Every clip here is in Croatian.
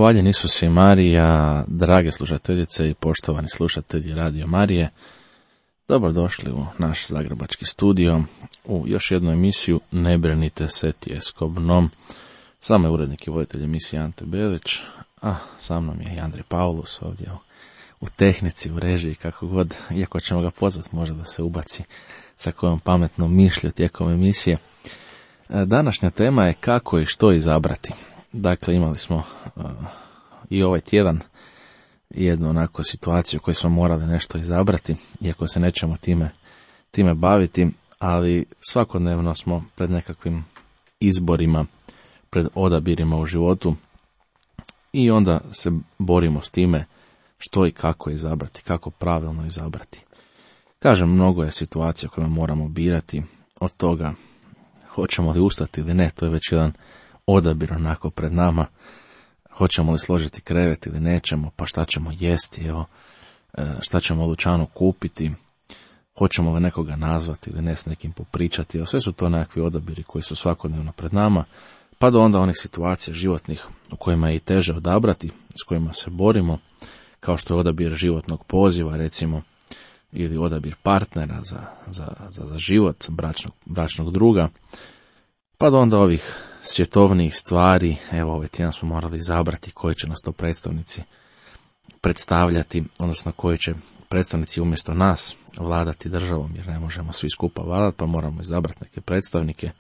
Hvaljen Isus i Marija, drage slušateljice i poštovani slušatelji Radio Marije. Dobrodošli u naš zagrebački studio, u još jednu emisiju Ne brinite se tjeskobnom. S vama je urednik i voditelj emisije Ante Belić, a sa mnom je i Andrej Paulus ovdje u tehnici, u režiji, kako god, iako ćemo ga pozvati možda da se ubaci sa kojom pametnom mišlju tijekom emisije. Današnja tema je kako i što izabrati. Dakle, imali smo i ovaj tjedan jednu onako situaciju u kojoj smo morali nešto izabrati, iako se nećemo time baviti, ali svakodnevno smo pred nekakvim izborima, pred odabirima u životu i onda se borimo s time što i kako izabrati, kako pravilno izabrati. Kažem, mnogo je situacija koje moramo birati, od toga hoćemo li ustati ili ne, to je već jedan odabir onako pred nama. Hoćemo li složiti krevet ili nećemo, pa šta ćemo jesti, evo, šta ćemo u dućanu kupiti, hoćemo li nekoga nazvati ili ne, s nekim popričati, evo, sve su to nekakvi odabiri koji su svakodnevno pred nama, pa do onda onih situacija životnih u kojima je i teže odabrati, s kojima se borimo, kao što je odabir životnog poziva, recimo, ili odabir partnera za život, bračnog druga, pa do onda ovih svjetovnih stvari. Evo, ovaj tjedan smo morali izabrati koji će nas to predstavnici predstavljati, odnosno koji će predstavnici umjesto nas vladati državom, jer ne možemo svi skupa vladati, pa moramo izabrati neke predstavnike.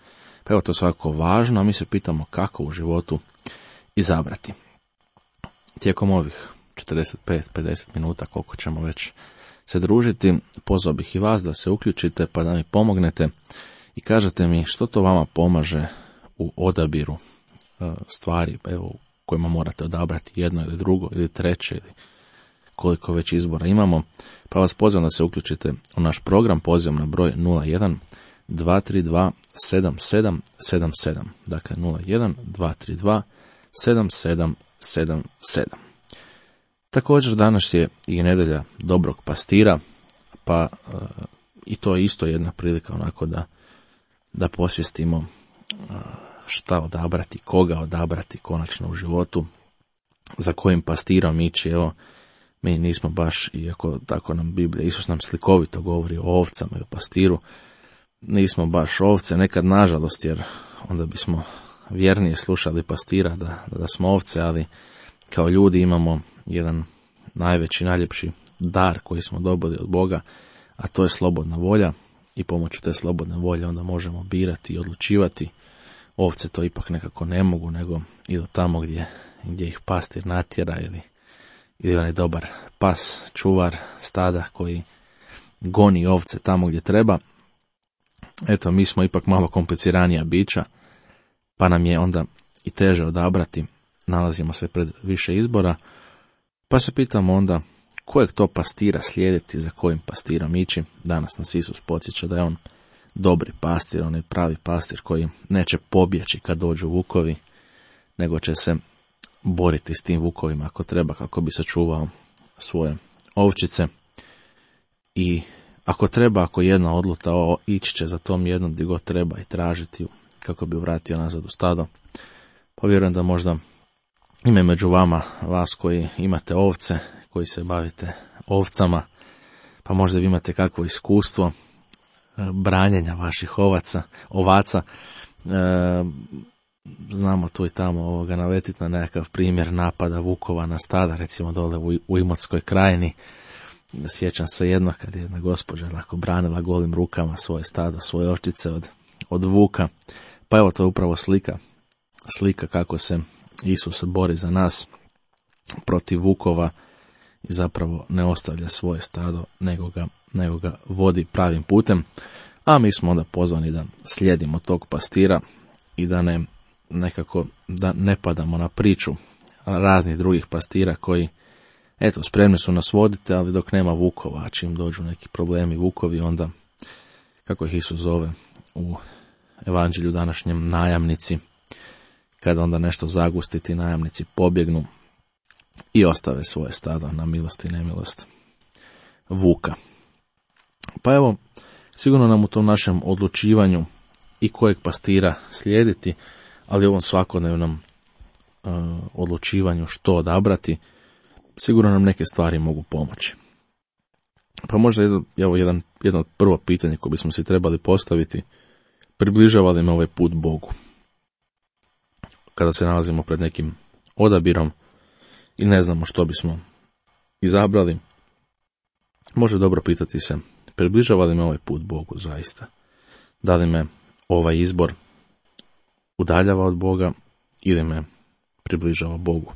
Pa evo, to je svakako važno, a mi se pitamo kako u životu izabrati. Tijekom ovih 45-50 minuta, koliko ćemo već se družiti, pozvao bih i vas da se uključite pa da mi pomognete i kažete mi što to vama pomaže u odabiru stvari, evo, kojima morate odabrati jedno ili drugo ili treće ili koliko već izbora imamo. Pa vas pozivam da se uključite u naš program, pozivam na broj 01 232 7777, dakle 01 232 7777. Također danas je i nedjelja dobrog pastira, pa i to je isto jedna prilika onako da posvijestimo šta odabrati, koga odabrati konačno u životu, za kojim pastirom ići. Evo, mi nismo baš, iako tako nam Biblija, Isus nam slikovito govori o ovcama i o pastiru, nismo baš ovce, nekad nažalost, jer onda bismo vjernije slušali pastira da smo ovce, ali kao ljudi imamo jedan najveći, najljepši dar koji smo dobili od Boga, a to je slobodna volja, i pomoću te slobodne volje onda možemo birati i odlučivati. Ovce to ipak nekako ne mogu, nego idu tamo gdje ih pastir natjera, ili onaj dobar pas, čuvar stada koji goni ovce tamo gdje treba. Eto, mi smo ipak malo kompliciranija bića, pa nam je onda i teže odabrati, nalazimo se pred više izbora, pa se pitamo onda kojeg to pastira slijediti, za kojim pastirom ići. Danas nas Isus podsjeća da je on dobri pastir, on je pravi pastir koji neće pobjeći kad dođu vukovi, nego će se boriti s tim vukovima ako treba, kako bi sačuvao svoje ovčice. I ako treba, ako jedna odluta, ići će za tom jednom gdje god treba i tražiti ju kako bi vratio nazad u stado. Pa vjerujem da možda ima među vama vas koji imate ovce, koji se bavite ovcama, pa možda vi imate kakvo iskustvo branjenja vaših ovaca. Znamo tu i tamo naletiti na nekakav primjer napada vukova na stada, recimo dole u Imotskoj krajini. Sjećam se jedno kad je jedna gospođa branila golim rukama svoje stado, svoje ovčice od vuka. Pa evo, to je upravo slika kako se Isus bori za nas protiv vukova i zapravo ne ostavlja svoje stado, nego ga vodi pravim putem. A mi smo onda pozvani da slijedimo tog pastira i da ne padamo na priču raznih drugih pastira koji, eto, spremni su nas voditi, ali dok nema vukova, a čim dođu neki problemi vukovi, onda, kako ih Isus zove u evanđelju današnjem, najamnici, kada onda nešto zagusti, ti najamnici pobjegnu i ostave svoje stado na milost i nemilost vuka. Pa evo, sigurno nam u tom našem odlučivanju i kojeg pastira slijediti, ali u ovom svakodnevnom odlučivanju što odabrati, sigurno nam neke stvari mogu pomoći. Pa možda jedno od prvo pitanje koje bismo si trebali postaviti, približava li me ovaj put Bogu? Kada se nalazimo pred nekim odabirom i ne znamo što bismo izabrali, može dobro pitati se, približava li me ovaj put Bogu zaista? Da li me ovaj izbor udaljava od Boga ili me približava Bogu?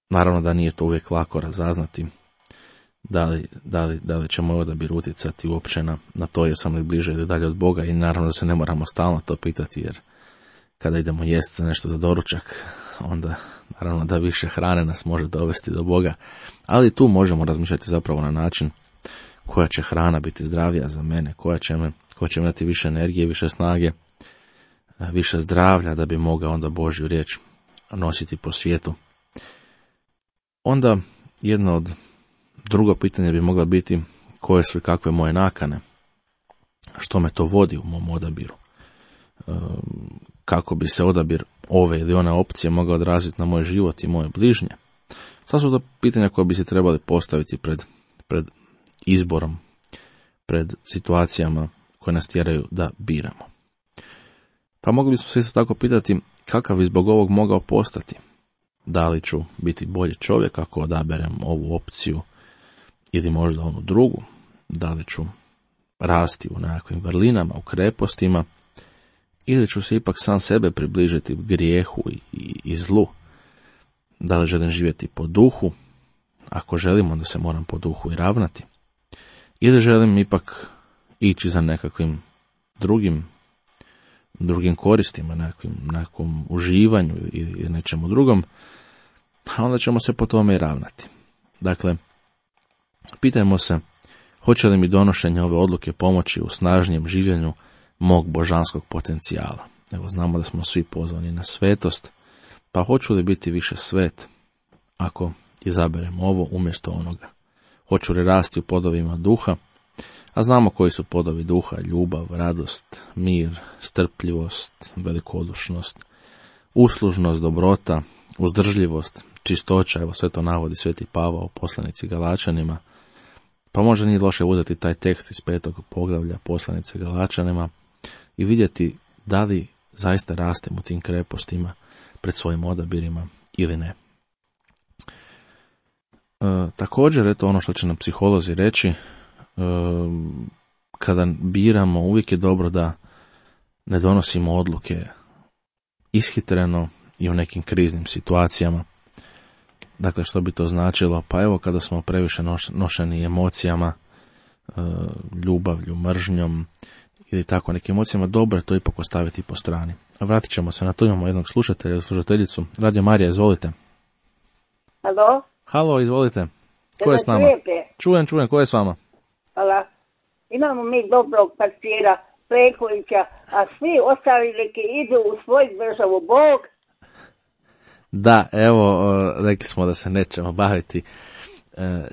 Naravno da nije to uvijek lako razaznati, da li će moj odabir utjecati uopće na to jesam li bliže ili dalje od Boga, i naravno da se ne moramo stalno to pitati, jer kada idemo jesti nešto za doručak, onda naravno da više hrane nas može dovesti do Boga, ali tu možemo razmišljati zapravo na način koja će hrana biti zdravija za mene, koja će mi dati više energije, više snage, više zdravlja da bi mogao onda Božju riječ nositi po svijetu. Onda drugo pitanje bi moglo biti koje su i kakve moje nakane, što me to vodi u mom odabiru, kako bi se odabir ove ili one opcije mogao odraziti na moj život i moje bližnje. Sad su to pitanja koje bi se trebali postaviti pred izborom, pred situacijama koje nas tjeraju da biramo. Pa mogli bismo se isto tako pitati kakav bi zbog ovog mogao postati. Da li ću biti bolji čovjek ako odaberem ovu opciju ili možda onu drugu? Da li ću rasti u nekakvim vrlinama, u krepostima, ili ću se ipak sam sebe približiti grijehu i zlu? Da li želim živjeti po duhu? Ako želim, onda se moram po duhu i ravnati. Ili želim ipak ići za nekakvim drugim koristima, nekakvom uživanju ili nečemu drugom, a onda ćemo se po tome i ravnati. Dakle, pitajmo se, hoće li mi donošenje ove odluke pomoći u snažnijem življenju mog božanskog potencijala. Evo, znamo da smo svi pozvani na svetost, pa hoću li biti više svet ako izaberem ovo umjesto onoga? Hoću li rasti u plodovima duha? A znamo koji su plodovi duha: ljubav, radost, mir, strpljivost, velikodušnost, uslužnost, dobrota, uzdržljivost, čistoća. Evo, sve to navodi Sveti Pavao u poslanici Galačanima. Pa možda nije loše uzeti taj tekst iz 5. poglavlja poslanice Galačanima i vidjeti da li zaista rastem u tim krepostima pred svojim odabirima ili ne. Također, eto ono što će nam psiholozi reći, kada biramo, uvijek je dobro da ne donosimo odluke ishitreno i u nekim kriznim situacijama. Dakle, što bi to značilo? Pa evo, kada smo previše nošeni emocijama, ljubavlju, mržnjom ili tako nekim emocijama, dobro je to ipak ostaviti po strani. A vratit ćemo se na to, imamo jednog slušatelja ili slušateljicu. Radio Marija, izvolite. Halo? Halo, izvolite. Ko je s nama? Čujem, ko je s vama? Hvala. Imamo mi dobrog pastira Plekovića, a svi ostali neki idu u svoju državu. Bog. Da, evo, rekli smo da se nećemo baviti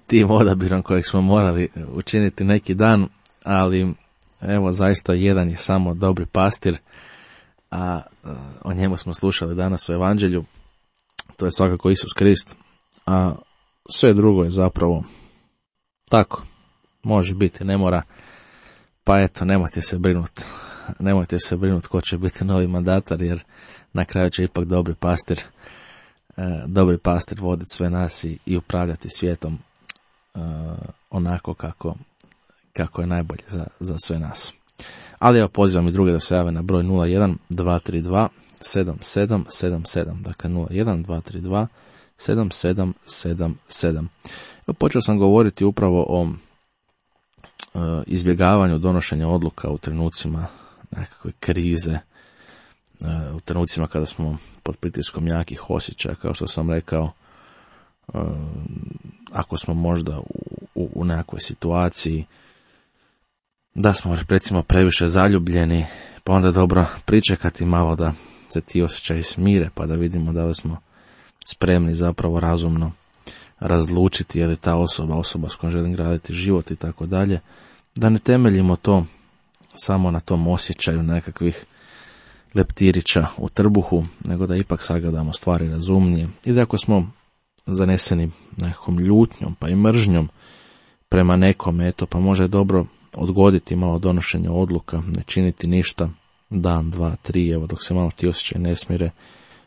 tim odabirom kojeg smo morali učiniti neki dan, ali evo, zaista jedan je samo dobri pastir, a o njemu smo slušali danas u Evanđelju. To je svakako Isus Krist, a sve drugo je zapravo tako. Može biti, ne mora, pa eto, nemojte se brinuti ko će biti novi mandatar, jer na kraju će ipak dobri pastir voditi sve nas i upravljati svijetom onako kako je najbolje za sve nas. Ali evo, pozivam i druge da se jave na broj 01 232 7777, dakle 01 232 7777. Počeo sam govoriti upravo o izbjegavanju donošenja odluka u trenucima nekakve krize, u trenucima kada smo pod pritiskom jakih osjećaja, kao što sam rekao, ako smo možda u nekakvoj situaciji da smo recimo previše zaljubljeni, pa onda dobro pričekati malo da se ti osjećaji smire, pa da vidimo da li smo spremni zapravo razumno razlučiti je li ta osoba s kojom želim graditi život i tako dalje, da ne temeljimo to samo na tom osjećaju nekakvih leptirića u trbuhu, nego da ipak sagledamo stvari razumnije i da ako smo zaneseni nekakvom ljutnjom pa i mržnjom prema nekom, eto, pa može dobro odgoditi malo donošenje odluka, ne činiti ništa, dan, dva, tri, evo, dok se malo ti osjećaj ne smire,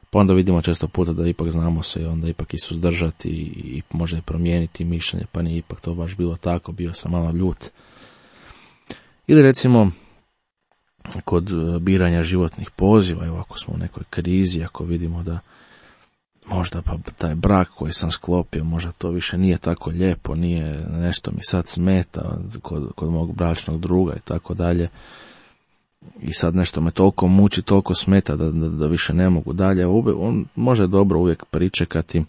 pa onda vidimo često puta da ipak znamo se i onda ipak i suzdržati i može promijeniti mišljenje, pa nije ipak to baš bilo tako, bio sam malo ljut. Ili recimo kod biranja životnih poziva, evo ako smo u nekoj krizi, ako vidimo da možda pa taj brak koji sam sklopio, možda to više nije tako lijepo, nije nešto mi sad smeta kod mog bračnog druga i tako dalje. I sad nešto me toliko muči, toliko smeta da više ne mogu dalje. On može dobro uvijek pričekati,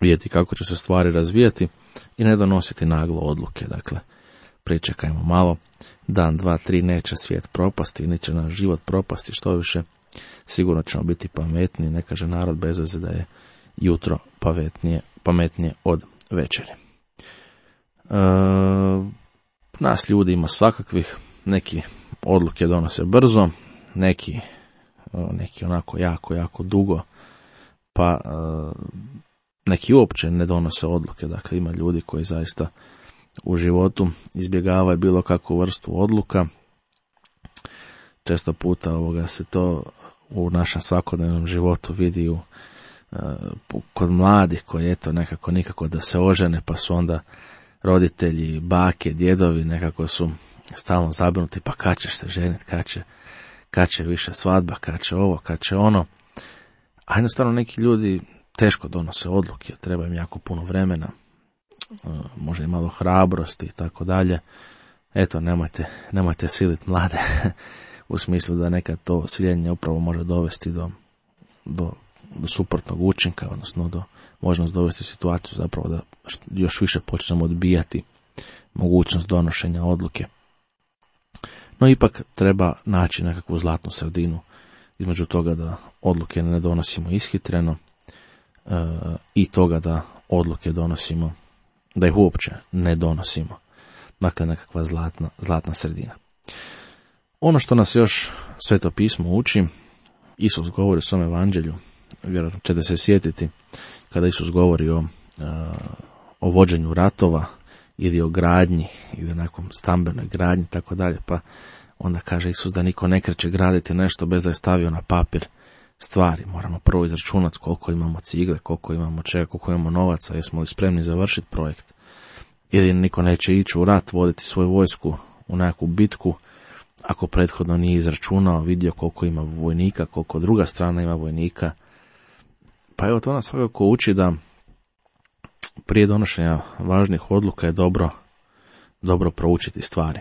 vidjeti kako će se stvari razvijati i ne donositi naglo odluke. Dakle, pričekajmo malo, dan, dva, tri, neće svijet propasti, neće naš život propasti, što više, sigurno ćemo biti pametniji. Ne kaže narod bez veze da je jutro pametnije od večeri. Nas ljudi ima svakakvih, neki odluke donose brzo, neki onako jako dugo, pa neki uopće ne donose odluke. Dakle, ima ljudi koji zaista u životu izbjegavaju bilo kakvu vrstu odluka. Često puta se to u našem svakodnevnom životu vidi kod mladih koji eto nekako nikako da se ožene, pa su onda roditelji, bake, djedovi nekako su stalno zabrinuti, pa kad ćeš se ženiti, kad će više svadba, kad će ovo, kad će ono. A jednostavno neki ljudi teško donose odluke, treba im jako puno vremena, možda i malo hrabrosti i tako dalje. Eto, nemojte siliti mlade u smislu da nekad to siljenje upravo može dovesti do suprotnog učinka, odnosno može nas dovesti u situaciju zapravo da još više počnemo odbijati mogućnost donošenja odluke. No ipak treba naći nekakvu zlatnu sredinu između toga da odluke ne donosimo ishitreno i toga da odluke donosimo, da ih uopće ne donosimo. Dakle, nekakva zlatna sredina. Ono što nas još Sveto pismo uči, Isus govori u svom evanđelju, vjerojatno ćete se sjetiti kada Isus govori o vođenju ratova ili o gradnji ili o nekom stambenoj gradnji, tako dalje, pa onda kaže Isus da niko ne kreće graditi nešto bez da je stavio na papir stvari. Moramo prvo izračunati koliko imamo cigle, koliko imamo čega, koliko imamo novaca, jesmo li spremni završiti projekt. Ili niko neće ići u rat, voditi svoju vojsku u nekakvu bitku ako prethodno nije izračunao, vidio koliko ima vojnika, koliko druga strana ima vojnika. Pa evo, to nas svakako uči da prije donošenja važnih odluka je dobro proučiti stvari.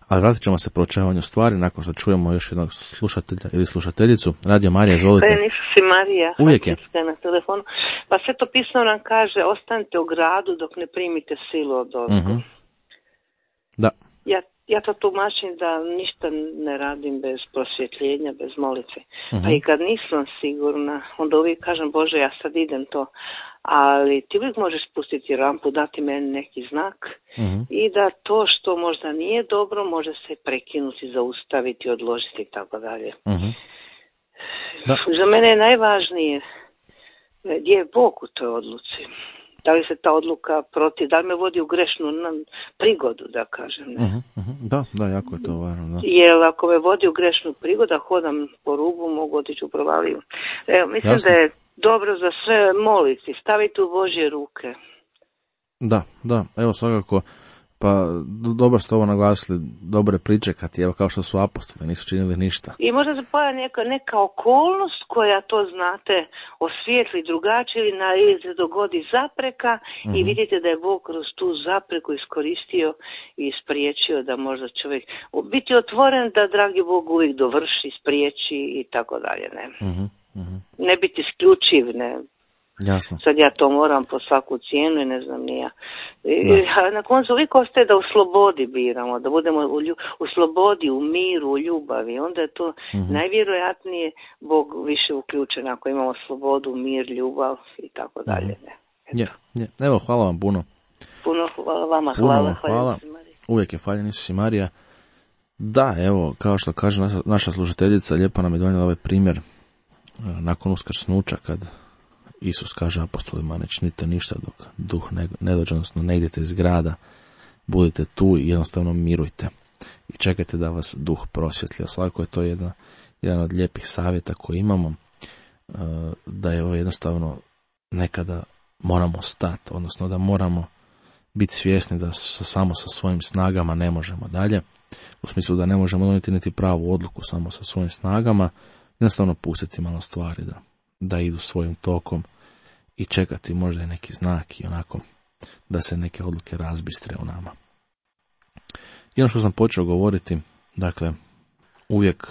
Ali vratit ćemo se proučavanju stvari nakon što čujemo još jednog slušatelja ili slušateljicu. Radio Marija, izvolite. Si Marija, uvijek je na telefonu. Pa Sveto pismo nam kaže, ostanite u gradu dok ne primite silu od ozgo. Uh-huh. Da. Ja to tumačim da ništa ne radim bez prosvjetljenja, bez molitve. Uh-huh. Pa i kad nisam sigurna, onda uvijek kažem, Bože, ja sad idem to. Ali ti uvijek možeš spustiti rampu, dati meni neki znak uh-huh. i da to što možda nije dobro može se prekinuti, zaustaviti, odložiti i tako dalje. Uh-huh. Za mene je najvažnije gdje je Bog u toj odluci. Da li se ta odluka da li me vodi u grešnu prigodu, da kažem. Ne? Uh-huh, uh-huh. Da, jako je to važno. Da. Jer ako me vodi u grešnu prigodu, hodam po rubu, mogu otići u provaliju. Mislim Jasno. da je dobro za sve moliti, staviti u Božje ruke. Da, evo svakako, pa dobro ste ovo naglasili, dobro je pričekati, evo kao što su apostoli, nisu činili ništa. I možda se pojavi neka okolnost koja to, znate, osvijetli drugačije ili se dogodi zapreka i vidite da je Bog kroz tu zapreku iskoristio i spriječio da možda čovjek biti otvoren da dragi Bog uvijek dovrši, spriječi i tako dalje, ne. Ne biti isključiv, ne. Jasno. Sad ja to moram po svaku cijenu i ne znam ni ja. Na koncu uvijek ostaje da u slobodi biramo, da budemo u slobodi, u miru, u ljubavi. Onda je to najvjerojatnije Bog više uključen ako imamo slobodu, mir, ljubav i tako dalje. Evo, hvala vam puno. Puno hvala vama. Hvala. Uvijek je hvaljen Isus i Marija. Da, evo, kao što kaže naša slušateljica, lijepo nam je donijela ovaj primjer nakon uskrsnuća, kad Isus kaže apostolima, ne činite ništa dok duh ne dođe, odnosno ne idete iz grada, budite tu i jednostavno mirujte i čekajte da vas duh prosvjetlja. Svakako je to jedan od lijepih savjeta koje imamo, da je ovo jednostavno nekada moramo stati, odnosno da moramo biti svjesni da samo sa svojim snagama ne možemo dalje, u smislu da ne možemo donijeti niti pravu odluku samo sa svojim snagama, jednostavno pustiti malo stvari da idu svojim tokom i čekati možda i neki znak i onako da se neke odluke razbistre u nama. I ono što sam počeo govoriti, dakle, uvijek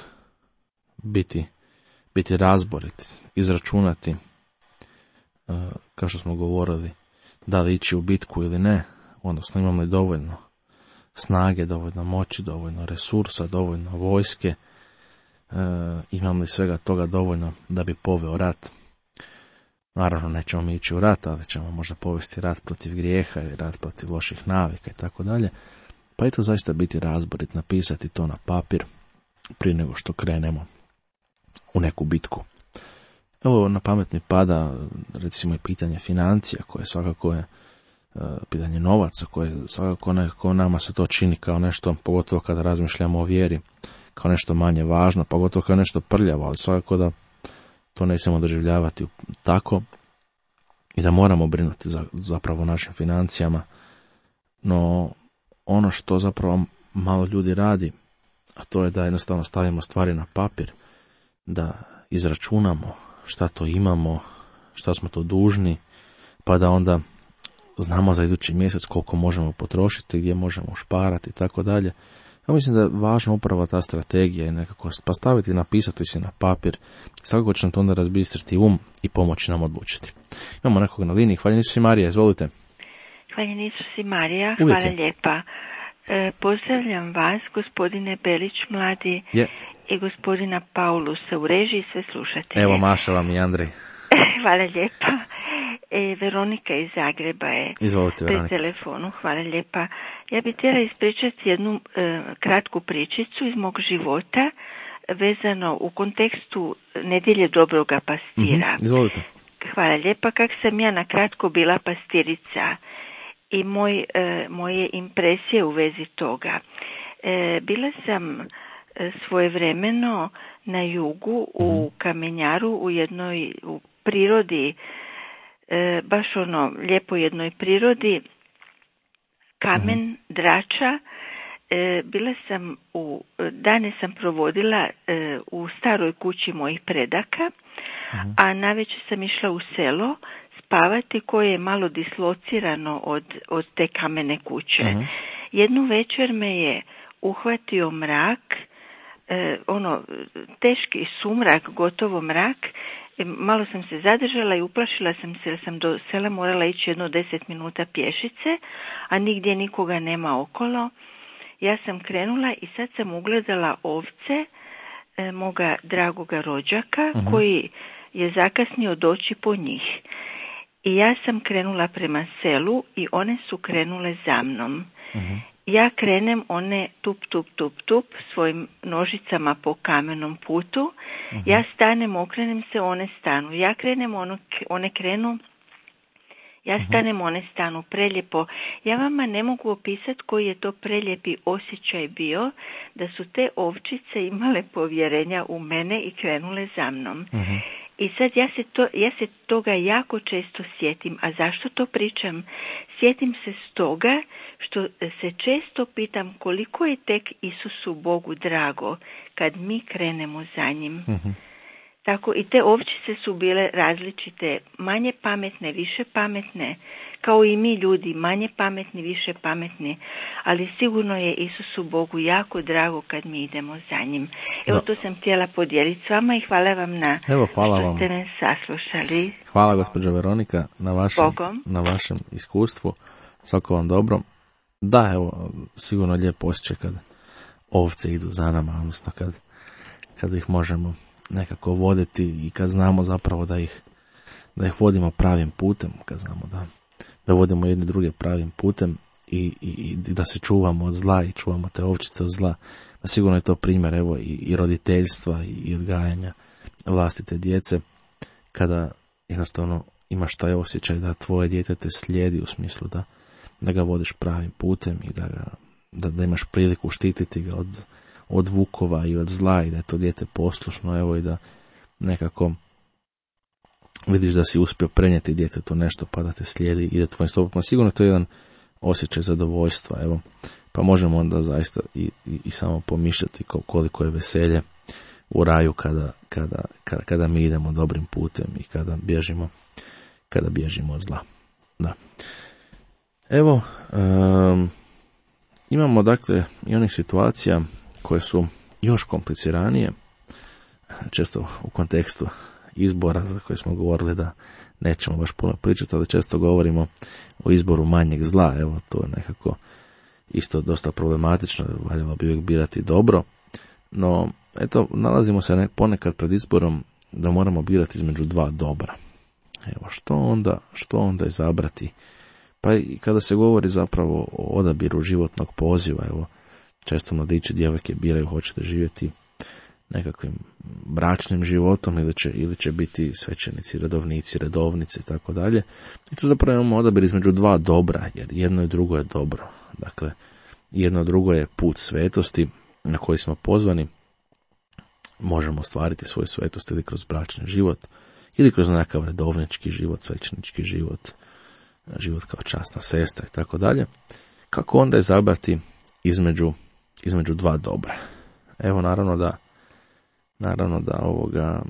biti razborit, izračunati, kao što smo govorili, da li ići u bitku ili ne, odnosno imamo li dovoljno snage, dovoljno moći, dovoljno resursa, dovoljno vojske, imam li svega toga dovoljno da bi poveo rat. Naravno, nećemo mi ići u rat, ali ćemo možda povesti rat protiv grijeha ili rat protiv loših navika i tako dalje. Pa i to zaista biti razborit, napisati to na papir prije nego što krenemo u neku bitku. Ovo na pamet mi pada, recimo, i pitanje financija, koje svakako je pitanje novaca, koje svakako nekako nama se to čini kao nešto, pogotovo kada razmišljamo o vjeri, kao nešto manje važno, pogotovo kao nešto prljavo, ali svakako da to ne smijemo doživljavati tako i da moramo brinuti zapravo o našim financijama. No, ono što zapravo malo ljudi radi, a to je da jednostavno stavimo stvari na papir, da izračunamo šta to imamo, šta smo to dužni, pa da onda znamo za idući mjesec koliko možemo potrošiti, gdje možemo ušparati i tako dalje. Ja mislim da je važna upravo ta strategija i nekako pa staviti, napisati si na papir, svakako će nam to onda razbistriti i pomoći nam odlučiti. Imamo nekog na liniji. Hvala Isus i Marija, izvolite. Hvala Isus i Marija, Uvijek hvala lijepa. Pozdravljam vas, gospodine Belić mladi i gospodina Paulusa u režiji, sve slušatelje. Evo, Maša vam i Andrej. Hvala lijepa. Veronika iz Zagreba je. Izvolite, Veronika. Pri telefonu, hvala lijepa. Ja bih htjela ispričati jednu kratku pričicu iz mog života vezano u kontekstu nedjelje dobroga pastira. Izvolite. Hvala lijepa. Kako sam ja na kratko bila pastirica i moje impresije u vezi toga. Bila sam svojevremeno na jugu u Kamenjaru u prirodi, baš lijepo jednoj prirodi, kamen, drača. Bila sam dane sam provodila u staroj kući mojih predaka, a navečer sam išla u selo spavati koje je malo dislocirano od te kamene kuće. Jednu večer me je uhvatio mrak, teški sumrak, gotovo mrak. Malo sam se zadržala i uplašila sam se jer sam do sela morala ići jedno 10 minuta pješice, a nigdje nikoga nema okolo. Ja sam krenula i sad sam ugledala ovce moga dragoga rođaka koji je zakasnio doći po njih. I ja sam krenula prema selu i one su krenule za mnom. Ja krenem, one tup svojim nožicama po kamenom putu. Ja stanem, okrenem se, one stanu. Ja krenem, one krenu. Ja stanem, one stanu. Preljepo. Ja vama ne mogu opisati koji je to preljepi osjećaj bio da su te ovčice imale povjerenja u mene i krenule za mnom. I sad ja se toga jako često sjetim. A zašto to pričam? Sjetim se stoga što se često pitam koliko je tek Isusu Bogu drago kad mi krenemo za njim. Tako i te ovčice su bile različite, manje pametne, više pametne, kao i mi ljudi, manje pametni, više pametni, ali sigurno je Isusu Bogu jako drago kad mi idemo za njim. Evo, to sam htjela podijeliti s vama i hvala vam što ste me saslušali. Hvala, gospođo Veronika, na vašem iskustvu. Svako vam dobro. Da, evo, sigurno lijep osjećaj kad ovce idu za nama, odnosno kad ih možemo nekako voditi i kad znamo zapravo da ih vodimo pravim putem, kad znamo da vodimo jedni druge pravim putem i da se čuvamo od zla i čuvamo te ovčice od zla. Pa sigurno je to primjer evo i roditeljstva i odgajanja vlastite djece, kada jednostavno imaš taj osjećaj da tvoje dijete te slijedi, u smislu da ga vodiš pravim putem i da imaš priliku štititi ga od vukova i od zla i da je to dijete poslušno, evo, i da nekako vidiš da si uspio prenijeti djetetu nešto pa da te slijedi i da tvojim stopama. Sigurno to je jedan osjećaj zadovoljstva, evo, pa možemo onda zaista i samo pomišljati koliko je veselje u raju kada mi idemo dobrim putem i kada bježimo od zla. Da. Evo, imamo dakle i onih situacija koje su još kompliciranije, često u kontekstu izbora za koje smo govorili da nećemo baš puno pričati, ali često govorimo o izboru manjeg zla. Evo, to je nekako isto dosta problematično, valjalo bi uvijek birati dobro, no eto, nalazimo se ponekad pred izborom da moramo birati između dva dobra. Evo, što onda izabrati? Pa i kada se govori zapravo o odabiru životnog poziva, evo, često mladići, djevojke biraju hoćete živjeti nekakvim bračnim životom ili će biti svećenici, redovnici, redovnice i tako dalje. I tu zapravo imamo odabir između dva dobra, jer jedno i drugo je dobro. Dakle, jedno i drugo je put svetosti na koji smo pozvani. Možemo ostvariti svoju svetost ili kroz bračni život, ili kroz nekakav redovnički život, svećenički život, život kao časna sestra i tako dalje. Kako onda izabrati između dva dobra? Evo, naravno da ovoga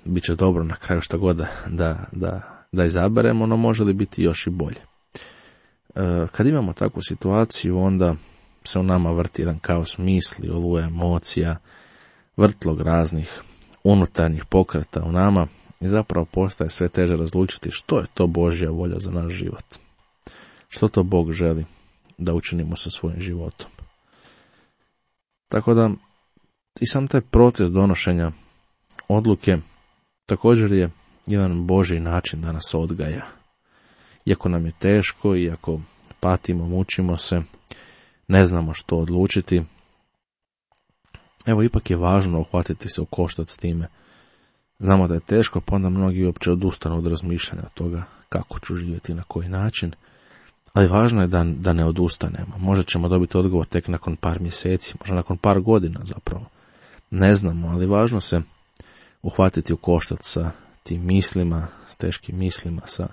bit će dobro na kraju šta god da izaberemo, no može li biti još i bolje. Kad imamo takvu situaciju, onda se u nama vrti jedan kaos misli, oluje emocija, vrtlog raznih unutarnjih pokreta u nama i zapravo postaje sve teže razlučiti što je to Božja volja za naš život. Što to Bog želi da učinimo sa svojim životom. Tako da i sam taj proces donošenja odluke također je jedan Božji način da nas odgaja. Iako nam je teško, iako patimo, mučimo se, ne znamo što odlučiti, evo, ipak je važno uhvatiti se u koštac s time. Znamo da je teško, pa onda mnogi uopće odustanu od razmišljanja od toga kako ću živjeti, na koji način, ali važno je da ne odustanemo. Možda ćemo dobiti odgovor tek nakon par mjeseci, možda nakon par godina zapravo. Ne znamo, ali važno se uhvatiti u koštac sa tim mislima, s teškim mislima, sa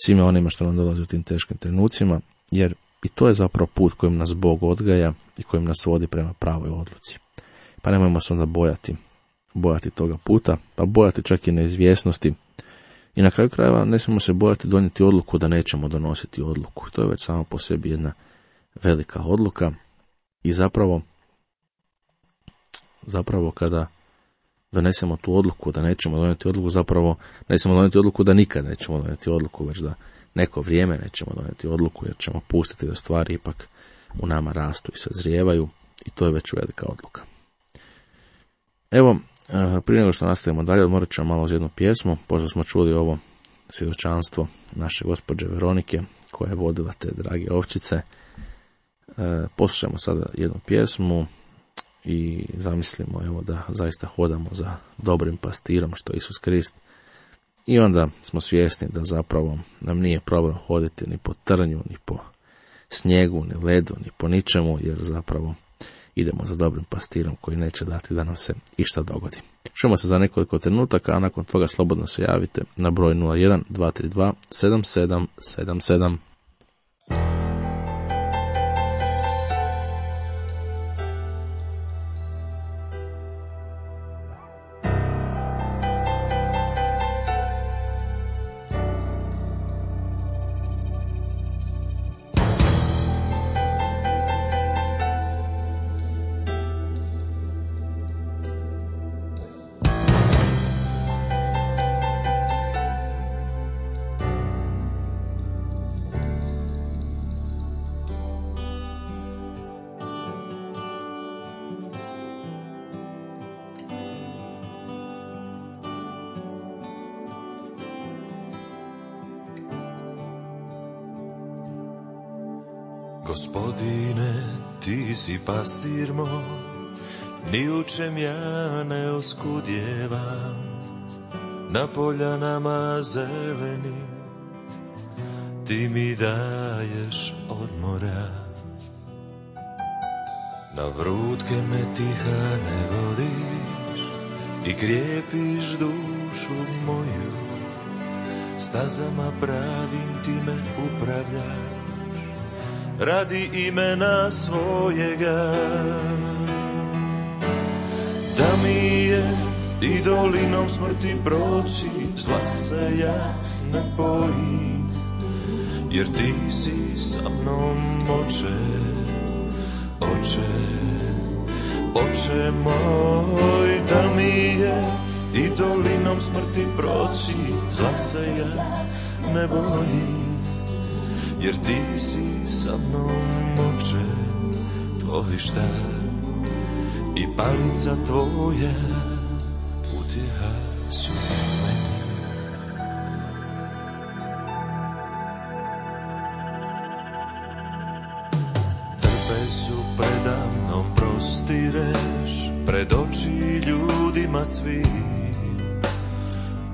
svime onima što nam dolazi u tim teškim trenucima, jer i to je zapravo put kojim nas Bog odgaja i kojim nas vodi prema pravoj odluci. Pa nemojmo se onda bojati toga puta, pa bojati čak i neizvjesnosti. I na kraju krajeva ne smijemo se bojati donijeti odluku da nećemo donositi odluku. To je već samo po sebi jedna velika odluka i zapravo kada donesemo tu odluku da nećemo donijeti odluku, zapravo nećemo donijeti odluku da nikad nećemo donijeti odluku, već da neko vrijeme nećemo donijeti odluku, jer ćemo pustiti da stvari ipak u nama rastu i sazrijevaju i to je već velika odluka. Evo, prije nego što nastavimo dalje, odmorat ćemo malo uz jednu pjesmu, pošto smo čuli ovo svjedočanstvo naše gospođe Veronike, koja je vodila te drage ovčice. Poslušajmo sada jednu pjesmu i zamislimo, evo, da zaista hodamo za dobrim pastirom, što je Isus Krist. I onda smo svjesni da zapravo nam nije problem hoditi ni po trnju, ni po snijegu, ni ledu, ni po ničemu, jer zapravo idemo za dobrim pastirom koji neće dati da nam se išta dogodi. Čujemo se za nekoliko trenutaka, a nakon toga slobodno se javite na broj 01 232 7777. Gospodine, ti si pastir moj, ni u čem ja ne oskudjevam, na poljanama zeleni ti mi daješ odmora. Na vrutke me tiha ne vodiš i krijepiš dušu moju, stazama pravim ti me upravljaš, radi imena svojega. Da mi je i dolinom smrti proći, zla se ja ne bojim, jer ti si sa mnom, Oče, Oče, Oče moj. Da mi je i dolinom smrti proći, zla se ja ne bojim, jer ti si sa mnom, Oče, tvoj štap i palica tvoja utjeha su meni. Trpezu predamnom prostireš, pred oči ljudima svi,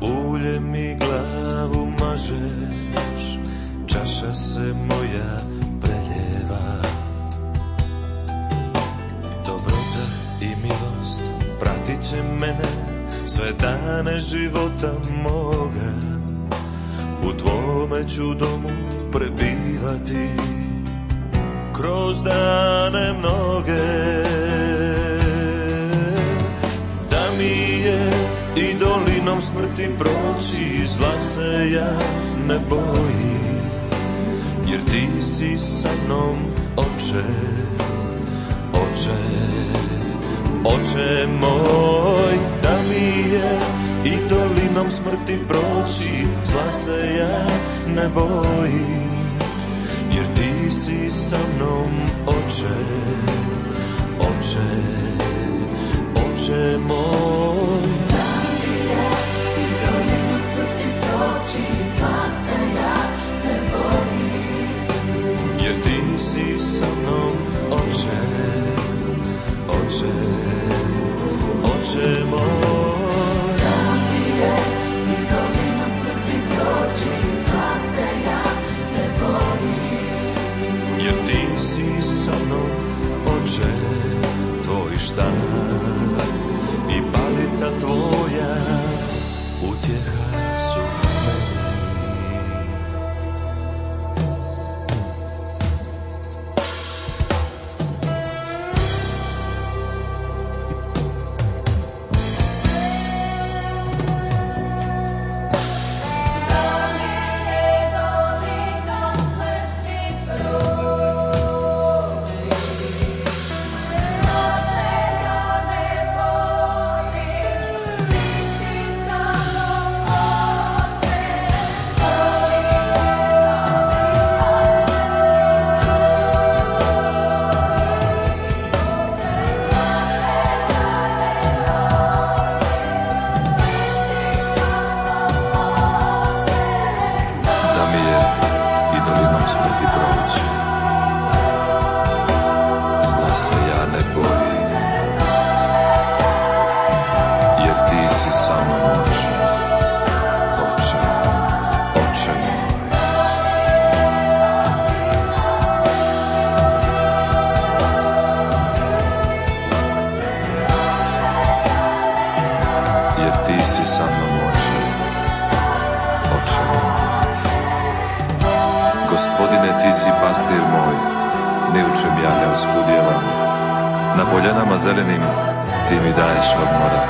ulje mi glavu mažeš, čaša se moja preljeva. Dobrota i milost pratit će mene sve dane života moga, u tvome ću domu prebivati kroz dane mnoge. Da mi je i dolinom smrti proći, zla se ja ne bojim, jer ti si sa mnom, Oče, Oče, Oče moj. Da mi je i dolinom smrti proći, zla se ja ne bojim, jer ti si sa mnom, Oče, Oče, Oče moj. Da mi je i dolinom smrti proći, zla se ja ne bojim, jer ti si sa mnom, Oče, Oče, Oče moj. da mi je i dolinom smrti proći, zla se ja ne bojim, jer ti si sa mnom, Oče, tvoj štap i palica tvoja utjeha su meni. Gospodine, ti si pastir moj, ni u čem ja ne oskudjevam. Na poljanama zelenim ti mi daješ odmora,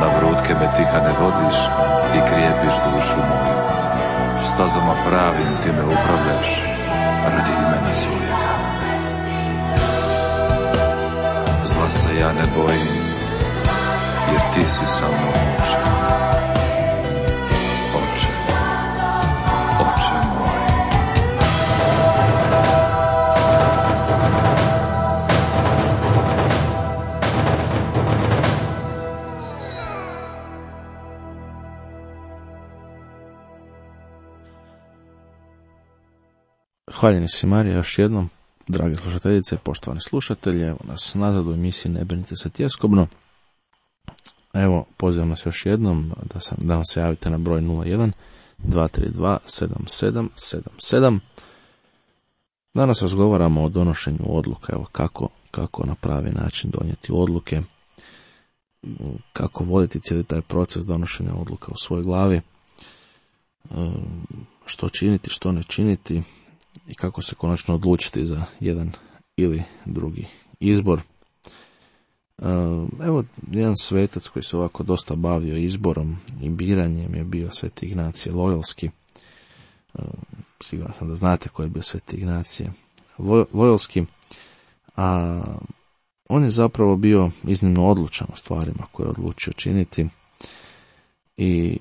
na vrutke me tiha ne vodiš i krijepiš dušu moju. Stazama pravim ti me upravljaš, radi imena svojega. Zla se ja ne bojim, jer ti si sa mnom, Oče, Oče, Oče moj. Hvaljeni si, Marija, još jednom drage slušateljice, poštovani slušatelji, evo nas nazad u emisiji Ne brinite se tjeskobno. Evo, pozivam nas još jednom da nam se javite na broj 01 232 7777. Danas razgovaramo o donošenju odluka, evo kako na pravi način donijeti odluke, kako voditi cijeli taj proces donošenja odluka u svojoj glavi, što činiti, što ne činiti i kako se konačno odlučiti za jedan ili drugi izbor. Evo, jedan svetac koji se ovako dosta bavio izborom i biranjem je bio Sveti Ignacije Loyolski. Siguran sam da znate ko je bio Sveti Ignacije Loyolski, a on je zapravo bio iznimno odlučan u stvarima koje je odlučio činiti i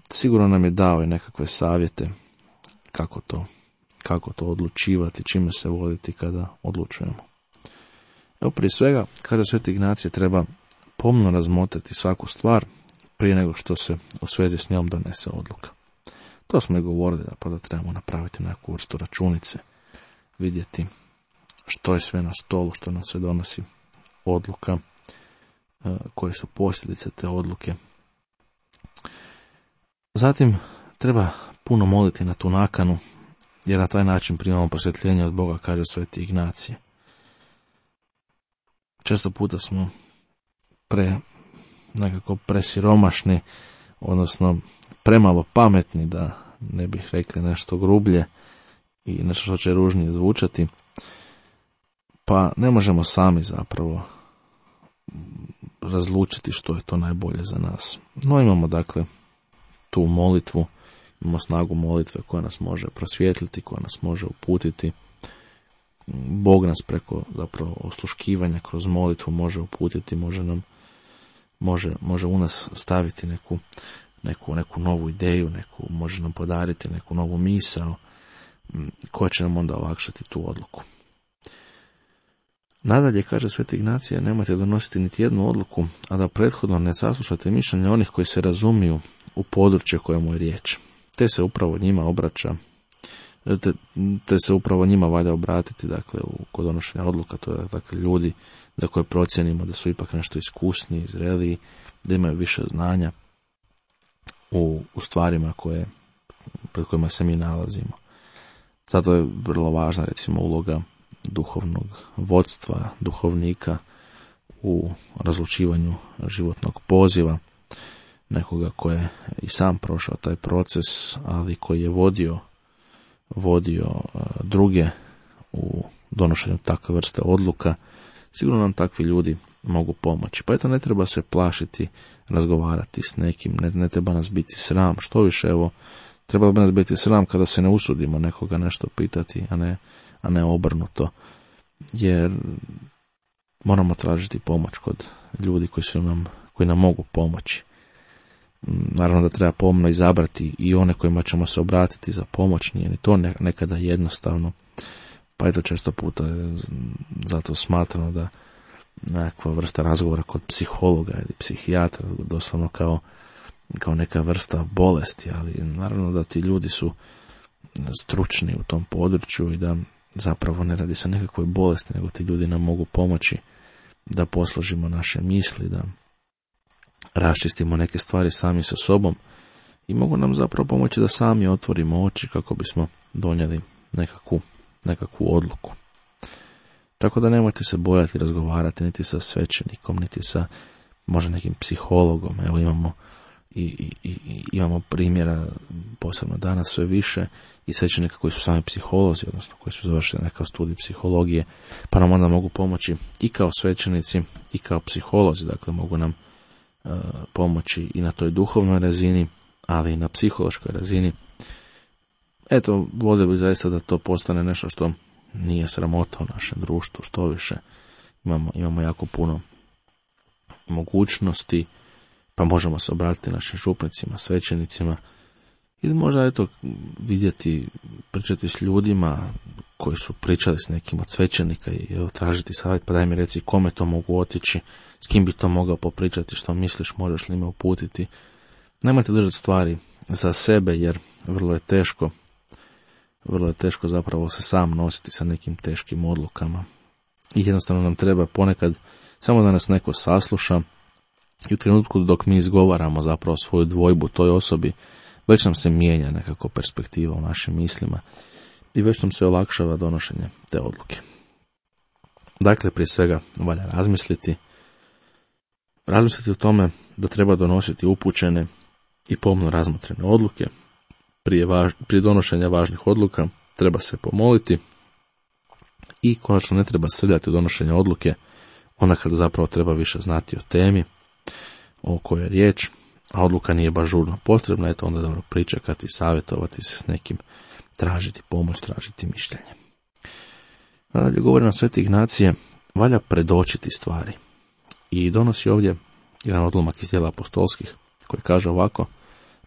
sigurno nam je dao i nekakve savjete kako to odlučivati, čime se voditi kada odlučujemo. Evo, prije svega, kaže Sveti Ignacije, treba pomno razmotriti svaku stvar prije nego što se u svezi s njom donese odluka. To smo i govorili, da trebamo napraviti neku vrstu računice, vidjeti što je sve na stolu, što nam se donosi odluka, koje su posljedice te odluke. Zatim treba puno moliti na tu nakanu, jer na taj način primamo prosvjetljenje od Boga, kaže Sveti Ignacije. Često puta smo nekako presiromašni, odnosno premalo pametni, da ne bih rekli nešto grublje i nešto što će ružnije zvučati, pa ne možemo sami zapravo razlučiti što je to najbolje za nas. No, imamo dakle tu molitvu, imamo snagu molitve koja nas može prosvijetliti, koja nas može uputiti. Bog nas preko zapravo osluškivanja kroz molitvu može uputiti, može u nas staviti neku novu ideju, može nam podariti neku novu misao koja će nam onda olakšati tu odluku. Nadalje, kaže Sveti Ignacije, nemojte donositi niti jednu odluku, a da prethodno ne saslušate mišljenja onih koji se razumiju u područje kojemu je riječ. Te se upravo njima obraća, te se upravo njima valja obratiti, dakle, kod donošenja odluka, to je dakle ljudi za koje procjenimo da su ipak nešto iskusniji, zreliji, da imaju više znanja u stvarima pred kojima se mi nalazimo. Zato je vrlo važna, recimo, uloga duhovnog vodstva, duhovnika u razlučivanju životnog poziva, nekoga koji je i sam prošao taj proces, ali koji je vodio druge u donošenju takve vrste odluka. Sigurno nam takvi ljudi mogu pomoći. Pa eto, ne treba se plašiti razgovarati s nekim, ne treba nas biti sram. Što više, evo, trebalo bi nas biti sram kada se ne usudimo nekoga nešto pitati, a ne obrnuto. Jer moramo tražiti pomoć kod ljudi koji nam mogu pomoći. Naravno da treba pomno izabrati i one kojima ćemo se obratiti za pomoć, nije ni to nekada jednostavno. Pa eto, često puta je zato smatrano da nekakva vrsta razgovora kod psihologa ili psihijatra doslovno kao neka vrsta bolesti, ali naravno da ti ljudi su stručni u tom području i da zapravo ne radi se o nekakvoj bolesti, nego ti ljudi nam mogu pomoći da posložimo naše misli, da raščistimo neke stvari sami sa sobom i mogu nam zapravo pomoći da sami otvorimo oči kako bismo donijeli nekakvu odluku. Tako da nemojte se bojati razgovarati niti sa svećenikom, niti sa možda nekim psihologom. Evo imamo primjera, posebno danas sve više, i svećenika koji su sami psiholozi, odnosno koji su završili nekav studij psihologije, pa nam onda mogu pomoći i kao svećenici i kao psiholozi. Dakle, mogu nam pomoći i na toj duhovnoj razini, ali i na psihološkoj razini. Eto, volio bih zaista da to postane nešto što nije sramota u našem društvu, što više. Imamo jako puno mogućnosti, pa možemo se obratiti našim župnicima, svećenicima, ili možda vidjeti, pričati s ljudima koji su pričali s nekim od svećenika i tražiti savjet, pa daj mi reci kome to mogu otići, s kim bi to mogao popričati, što misliš, možeš li me uputiti. Nemojte držati stvari za sebe, jer vrlo je teško vrlo je teško zapravo se sam nositi sa nekim teškim odlukama. I jednostavno nam treba ponekad samo da nas neko sasluša i u trenutku dok mi izgovaramo zapravo svoju dvojbu toj osobi, već nam se mijenja nekako perspektiva u našim mislima i već nam se olakšava donošenje te odluke. Dakle, prije svega valja razmisliti o tome da treba donositi upućene i pomno razmotrene odluke. Prije donošenja važnih odluka treba se pomoliti i konačno ne treba srljati u donošenje odluke onda kada zapravo treba više znati o temi o kojoj je riječ, a odluka nije baš žurno potrebna, eto onda dobro pričekati, savjetovati se s nekim, tražiti pomoć, tražiti mišljenje. Nadalje govori nam Sveti Ignacije, valja predočiti stvari. I donosi ovdje jedan odlomak iz djela apostolskih koji kaže ovako: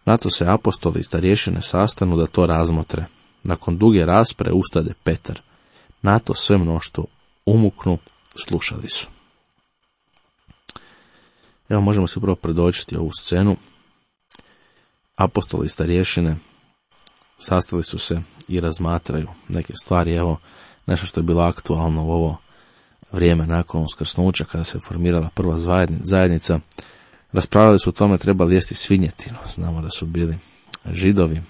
na to se apostoli i starješine sastanu da to razmotre. Nakon duge rasprave ustade Petar. Na to sve mnoštvo umuknu, slušali su. Evo možemo se upravo predočiti ovu scenu. Apostoli i starješine sastali su se i razmatraju neke stvari. Evo nešto što je bilo aktualno u ovo vrijeme nakon uskrsnuća kada se formirala prva zajednica. Raspravljali su o tome treba li jesti svinjetinu. Znamo da su bili Židovi,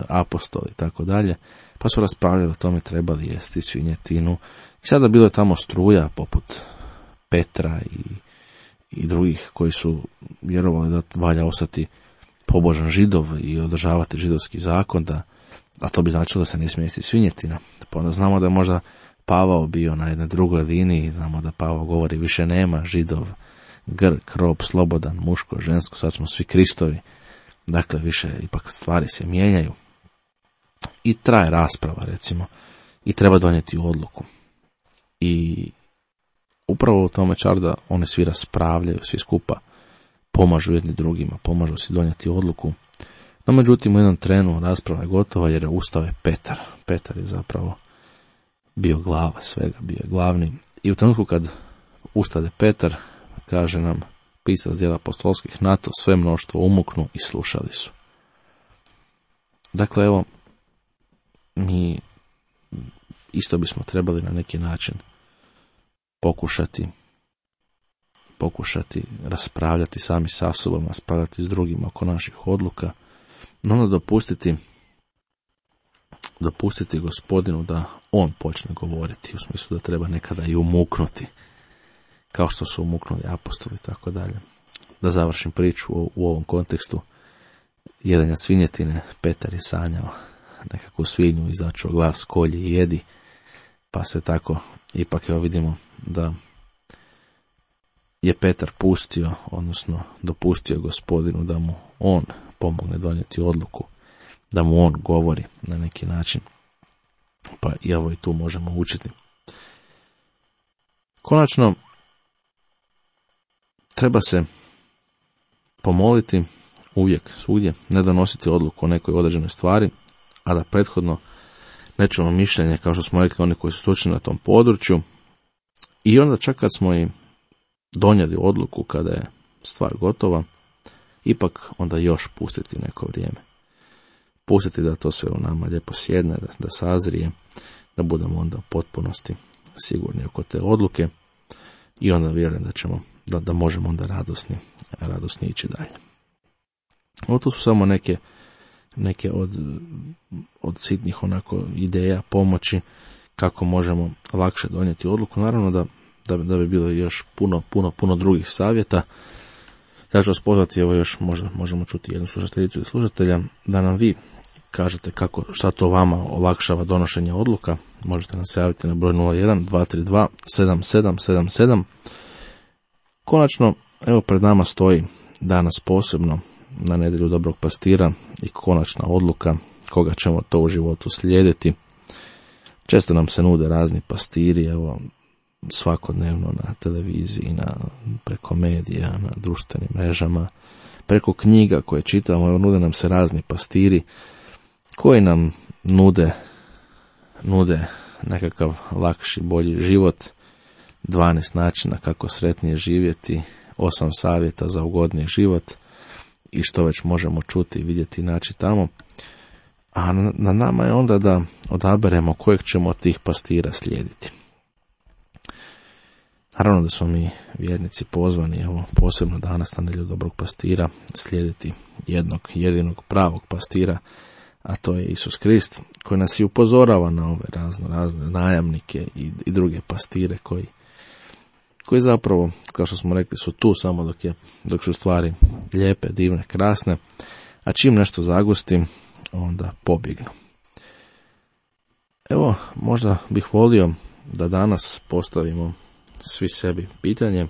apostoli i tako dalje, pa su raspravljali o tome treba li jesti svinjetinu. I sada bilo je tamo struja poput Petra i drugih koji su vjerovali da valja ostati pobožan Židov i održavati židovski zakon, a to bi značilo da se ne smije jesti svinjetina. Pa onda znamo da je možda Pavao bio na jednoj drugoj liniji, znamo da Pavao govori više nema Židov, Grk, rob, slobodan, muško, žensko, sad smo svi Kristovi. Dakle, više ipak stvari se mijenjaju. I traje rasprava, recimo, i treba donijeti odluku. I upravo u tome čar da oni svi raspravljaju, svi skupa pomažu jedni drugima, pomažu si donijeti odluku. No, međutim, u jednom trenu rasprava je gotova jer je ustao je Petar. Petar je zapravo bio glava svega, bio je glavni. I u trenutku kad ustade Petar, kaže nam pisac djela apostolskih, na to sve mnoštvo umuknu i slušali su. Dakle, evo, mi isto bismo trebali na neki način pokušati raspravljati sami sa sobom, raspravljati s drugima oko naših odluka, no onda dopustiti Gospodinu da on počne govoriti, u smislu da treba nekada i umuknuti, kao što su umuknuli apostoli i tako dalje. Da završim priču u ovom kontekstu jedenja svinjetine, Petar je sanjao nekakvu svinju, izačuo glas, kolji i jedi, pa se tako ipak evo vidimo da je Petar dopustio Gospodinu da mu on pomogne donijeti odluku, da mu on govori na neki način, pa evo i tu možemo učiti. Konačno, treba se pomoliti uvijek, svugdje, ne donositi odluku o nekoj određenoj stvari, a da prethodno ne čujemo mišljenje, kao što smo rekli, oni koji su stručni na tom području, i onda čak kad smo i donijeli odluku, kada je stvar gotova, ipak onda još pustiti neko vrijeme. Pustiti da to sve u nama lijepo sjedne, da sazrije, da budemo onda u potpunosti sigurni oko te odluke i onda vjerujem da možemo onda radosni ići dalje. Ovo tu su samo neke od sitnih onako ideja, pomoći kako možemo lakše donijeti odluku. Naravno da bi bilo još puno drugih savjeta. Ja ću vas pozvati, evo još možemo čuti jednu slušateljicu i slušatelja, da nam vi kažete šta to vama olakšava donošenje odluka. Možete nam se javiti na broj 01-232-7777. Konačno, evo pred nama stoji danas posebno na nedjelju Dobrog pastira i konačna odluka koga ćemo to u životu slijediti. Često nam se nude razni pastiri, evo svakodnevno na televiziji, preko medija, na društvenim mrežama, preko knjiga koje čitamo, evo nude nam se razni pastiri koji nam nude nekakav lakši, bolji život, 12 načina kako sretnije živjeti, 8 savjeta za ugodniji život i što već možemo čuti, vidjeti i naći tamo. A na nama je onda da odaberemo kojeg ćemo od tih pastira slijediti. Naravno da smo mi vjernici pozvani, evo, posebno danas na nedjelju dobrog pastira, slijediti jednog jedinog pravog pastira, a to je Isus Krist, koji nas i upozorava na ove razne najamnike i druge pastire koji zapravo, kao što smo rekli, su tu samo dok su stvari lijepe, divne, krasne, a čim nešto zagusti, onda pobjegnu. Evo, možda bih volio da danas postavimo svi sebi pitanje,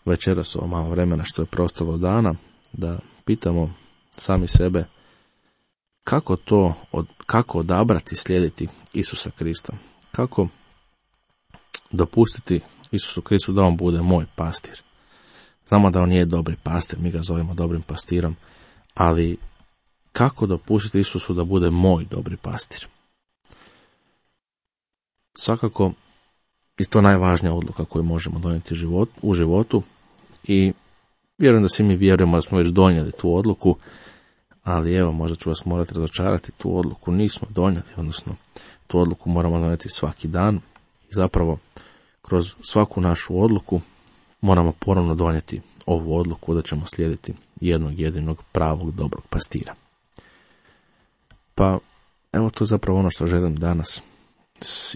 večeras ovo malo vremena što je preostalo dana, da pitamo sami sebe kako odabrati slijediti Isusa Krista, kako dopustiti Isusu Kristu da on bude moj pastir. Znamo da on nije dobri pastir, mi ga zovemo dobrim pastirom, ali kako dopustiti Isusu da bude moj dobri pastir? Svakako, i to najvažnija odluka koju možemo donijeti u životu i vjerujem da svi mi vjerujemo da smo već donijeli tu odluku, ali evo, možda ću vas morati razočarati, tu odluku nismo donijeli, odnosno tu odluku moramo donijeti svaki dan i zapravo kroz svaku našu odluku moramo ponovno donijeti ovu odluku da ćemo slijediti jednog jedinog pravog dobrog pastira. Pa evo, to je zapravo ono što želim danas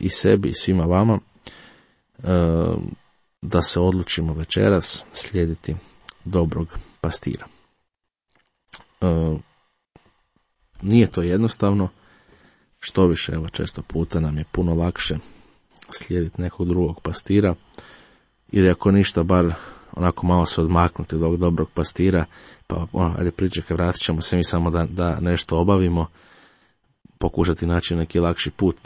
i sebi i svima vama, da se odlučimo večeras slijediti dobrog pastira. Nije to jednostavno, što više, evo, često puta nam je puno lakše slijediti nekog drugog pastira, ili ako ništa, bar onako malo se odmaknuti od ovog dobrog pastira, pa ajde pričekaj, vratit ćemo se mi samo da nešto obavimo, pokušati naći neki lakši put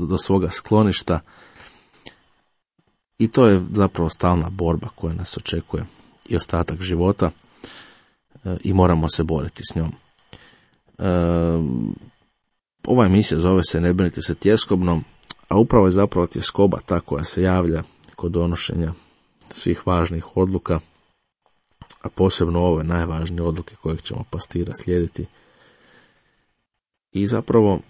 do svoga skloništa. I to je zapravo stalna borba koja nas očekuje i ostatak života i moramo se boriti s njom. Ova emisija zove se Ne brinite se tjeskobno, a upravo je zapravo tjeskoba ta koja se javlja kod donošenja svih važnih odluka, a posebno ove najvažnije odluke kojeg ćemo pastira slijediti. I zapravo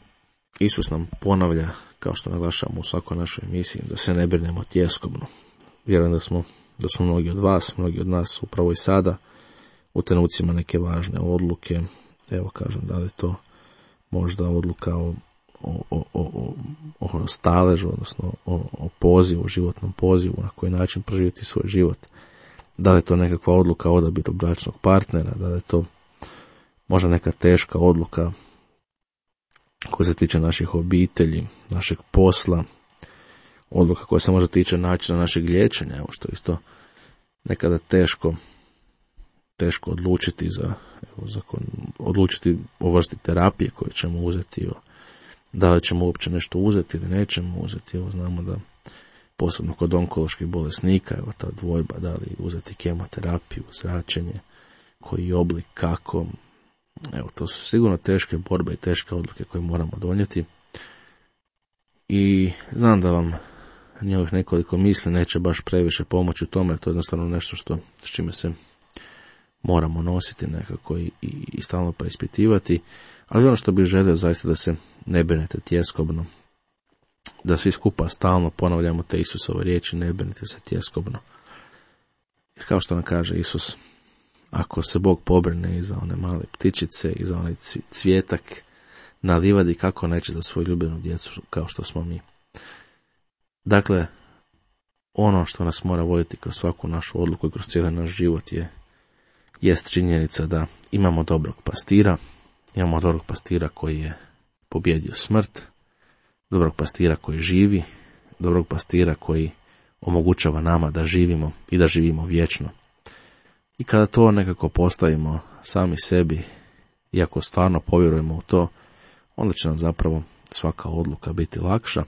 Isus nam ponavlja, kao što naglašavamo u svakoj našoj emisiji, da se ne brinemo tjeskobno. Vjerujem da su mnogi od vas, mnogi od nas upravo i sada u trenucima neke važne odluke. Evo, kažem, da li to možda odluka o staležu, odnosno o pozivu, životnom pozivu, na koji način proživjeti svoj život. Da li je to nekakva odluka o odabiru bračnog partnera, da li je to možda neka teška odluka koja se tiče naših obitelji, našeg posla, odluka koja se možda tiče načina našeg liječenja, evo, što je isto nekada teško odlučiti odlučiti o vrsti terapije koju ćemo uzeti, da li ćemo uopće nešto uzeti ili nećemo uzeti. Evo, znamo da posebno kod onkoloških bolesnika, evo, ta dvojba, da li uzeti kemoterapiju, zračenje, koji oblik, kako. Evo, to su sigurno teške borbe i teške odluke koje moramo donijeti. I znam da vam njih nekoliko misli neće baš previše pomoći u tome, jer to je jednostavno nešto s čime se moramo nositi nekako i stalno preispitivati. Ali ono što bih želio zaista da se ne brinete tjeskobno, da svi skupa stalno ponavljamo te Isusove riječi, ne brinite se tjeskobno. Jer kao što nam kaže Isus, ako se Bog pobrine i za one male ptičice i za onaj cvijetak na livadi, kako neće za svoju ljubljenu djecu kao što smo mi. Dakle, ono što nas mora voditi kroz svaku našu odluku i kroz cijeli naš život jest činjenica da imamo dobrog pastira koji je pobjedio smrt, dobrog pastira koji živi, dobrog pastira koji omogućava nama da živimo i da živimo vječno. I kada to nekako postavimo sami sebi, iako stvarno povjerujemo u to, onda će nam zapravo svaka odluka biti lakša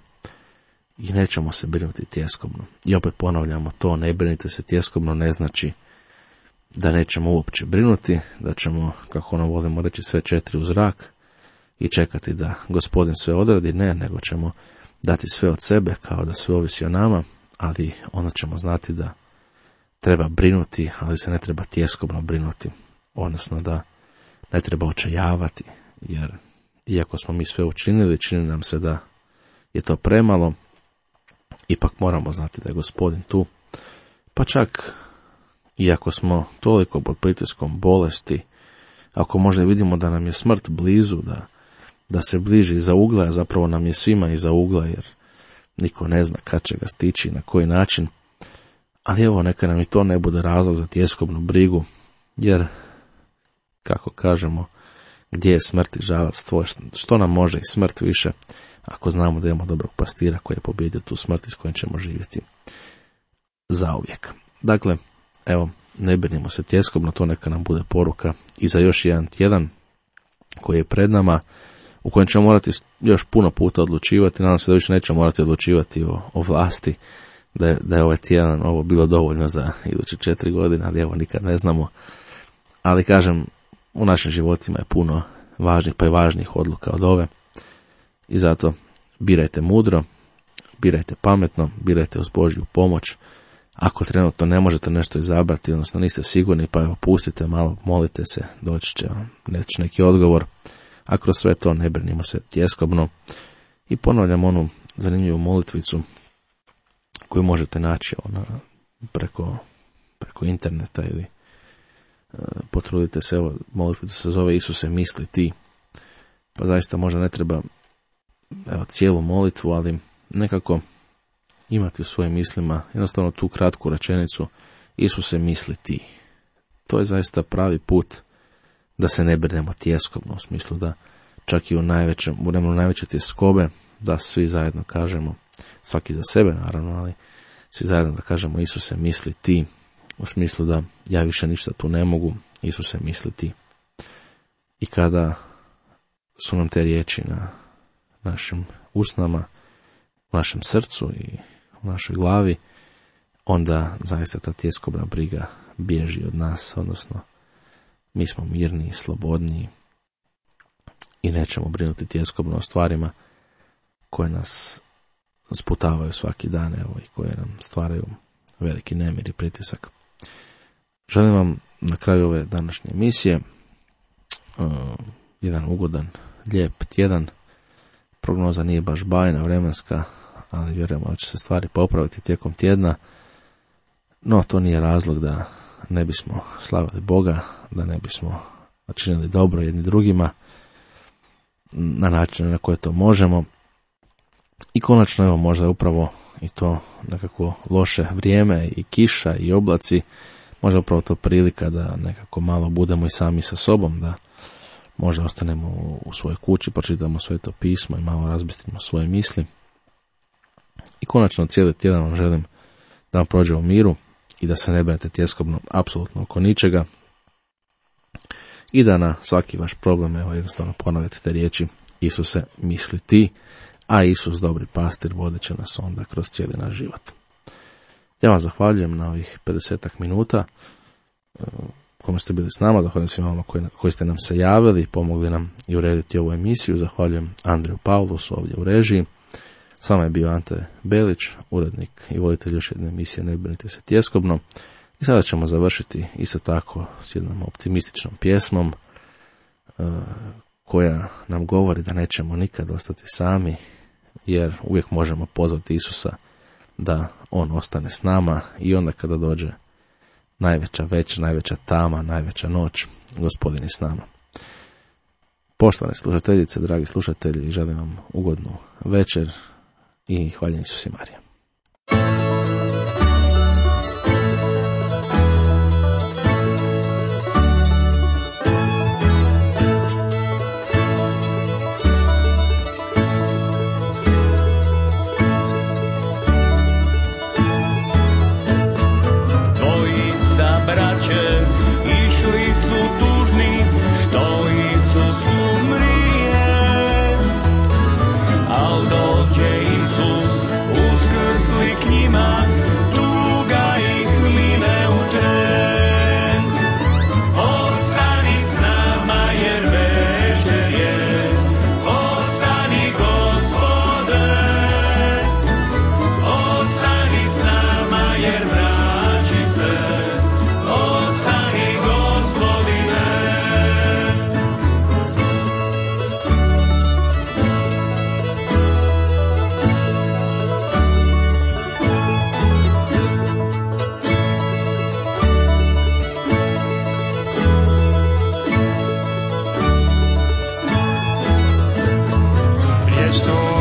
i nećemo se brinuti tjeskobno. I opet ponavljamo to, ne brinite se tjeskobno ne znači da nećemo uopće brinuti, da ćemo, kako ono volimo reći, sve 4 u zrak i čekati da Gospodin sve odradi, ne, nego ćemo dati sve od sebe kao da sve ovisi o nama, ali onda ćemo znati da treba brinuti, ali se ne treba tjeskobno brinuti, odnosno da ne treba očajavati, jer iako smo mi sve učinili, čini nam se da je to premalo, ipak moramo znati da je Gospodin tu. Pa čak, iako smo toliko pod pritiskom bolesti, ako možda vidimo da nam je smrt blizu, da se bliži iza ugla, a zapravo nam je svima iza ugla, jer niko ne zna kad će ga stići, na koji način. Ali evo, neka nam i to ne bude razlog za tjeskobnu brigu, jer, kako kažemo, gdje je smrt i žalac tvoj, što nam može i smrt više, ako znamo da imamo dobrog pastira koji je pobjedio tu smrt i s kojim ćemo živjeti zauvijek. Dakle, evo, ne brinimo se tjeskobno, to neka nam bude poruka i za još jedan tjedan koji je pred nama, u kojem ćemo morati još puno puta odlučivati. Nadam se da više nećemo morati odlučivati o vlasti, da je ovaj tjedan ovo bilo dovoljno za iduće 4 godine, ali evo, nikad ne znamo. Ali kažem, u našim životima je puno važnih, pa i važnijih odluka od ove. I zato birajte mudro, birajte pametno, birajte uz Božju pomoć. Ako trenutno ne možete nešto izabrati, odnosno niste sigurni, pa evo, pustite malo, molite se, doći će vam neki odgovor. A kroz sve to ne brinimo se tjeskobno. I ponavljam onu zanimljivu molitvicu koju možete naći preko interneta ili potrudite se, evo, molitvica se zove Isuse misli ti. Pa zaista možda ne treba cijelu molitvu, ali nekako imati u svojim mislima jednostavno tu kratku rečenicu Isuse misli ti. To je zaista pravi put da se ne brinemo tjeskobno, u smislu da čak i u najveće tjeskobe, da svi zajedno kažemo, svaki za sebe naravno, ali svi zajedno da kažemo Isuse misli ti, u smislu da ja više ništa tu ne mogu, Isuse misli ti. I kada su nam te riječi na našim usnama, u našem srcu i u našoj glavi, onda zaista ta tjeskobna briga bježi od nas, odnosno mi smo mirniji, slobodniji i nećemo brinuti tjeskobno o stvarima koje nas sputavaju svaki dan, evo, i koje nam stvaraju veliki nemir i pritisak. Želim vam na kraju ove današnje emisije jedan ugodan, lijep tjedan. Prognoza nije baš bajna vremenska, ali vjerujemo da će se stvari popraviti tijekom tjedna. No, to nije razlog da ne bismo slavili Boga, da ne bismo činili dobro jedni drugima na način na koje to možemo. I konačno, evo, možda je upravo i to nekako loše vrijeme i kiša i oblaci, možda upravo to prilika da nekako malo budemo i sami sa sobom, da možda ostanemo u svojoj kući, pročitamo Sveto pismo i malo razbistrimo svoje misli. I konačno, cijeli tjedan vam želim da vam prođe u miru i da se ne brinete tjeskobno apsolutno oko ničega i da na svaki vaš problem, evo, jednostavno ponavljate te riječi Isuse misli ti, a Isus dobri pastir vodit će nas onda kroz cijeli naš život. Ja vam zahvaljujem na ovih 50 minuta kome ste bili s nama, zahvaljujem svima vama koji ste nam se javili, pomogli nam i urediti ovu emisiju, zahvaljujem Andriju Pavlusu ovdje u režiji. S vama je bio Ante Belić, urednik i voditelj još jedne emisije Ne brinite se tjeskobno. I sada ćemo završiti isto tako s jednom optimističnom pjesmom koja nam govori da nećemo nikad ostati sami, jer uvijek možemo pozvati Isusa da on ostane s nama i onda kada dođe najveća već, najveća tama, najveća noć, Gospodin je s nama. Poštovane slušateljice, dragi slušatelji, želim vam ugodnu večer i hvaljen Isus i Marija. Al dođe Isus, uskrsli k njima što